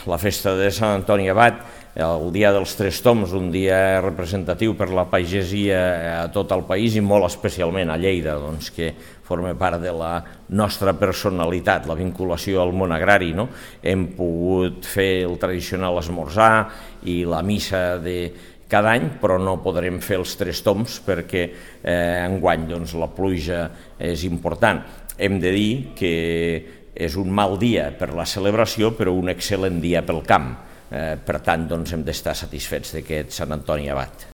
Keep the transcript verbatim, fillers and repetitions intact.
la festa de Sant Antoni Abat, el dia dels Tres Tombs, un dia representatiu per la pagesia a tot el país i molt especialment a Lleida, doncs, que forma part de la nostra personalitat, la vinculació al món agrari. No? Hem pogut fer el tradicional esmorzar i la missa de cada any, però no podrem fer els Tres Tombs perquè eh, enguany doncs, la pluja és important. Hem de dir que és un mal dia per la celebració, però un excel·lent dia pel camp. Eh, per tant, doncs, hem d'estar satisfets d'aquest Sant Antoni Abat.